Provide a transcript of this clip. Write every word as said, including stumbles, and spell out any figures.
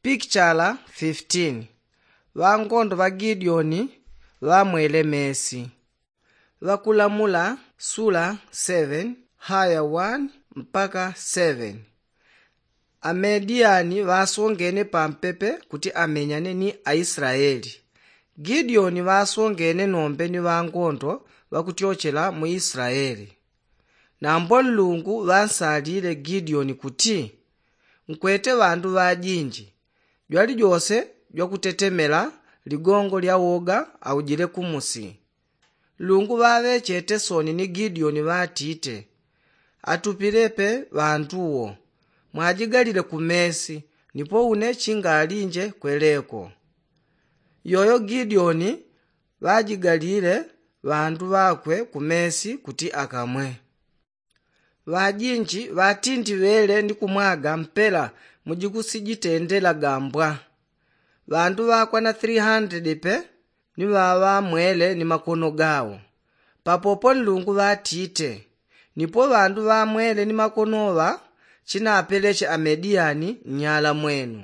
Pikichala fifteen. Ŵangondo ŵa gideoni ŵamwele mesi. Ŵakulamula sula seven haya one mpaka seven. Amediyani ŵasongene pampepe kuti amenyane ni aislaeli. Gideoni ŵasongene nombe ni ŵangondo ŵakutyochela mu islaeli. Nambo nlungu ŵansalile gideoni kuti, nkwete ŵandu ŵajinji. Jwalijose jwakutetemela ligongo lya woga aujile kumusi. Nlungu ŵaŵechete soni ni gideoni ŵatite, atupilepe ŵandu wo. Mwajigalile kumesi nipo une chingalinje kweleko. Yoyo gideoni ŵajigalile ŵandu ŵakwe kumesi kuti akamwe. Ŵajinji ŵatindiŵele ni kumwaga mpela mujikusijitendela gambwa. Ŵandu ŵakwana three hundred pe ni ŵaŵamwele ni makono gawo. Papopo nlungu ŵatite, nipo ŵandu ŵamwele ni makonoŵa chinapeleche amediyani nnyala mwenu.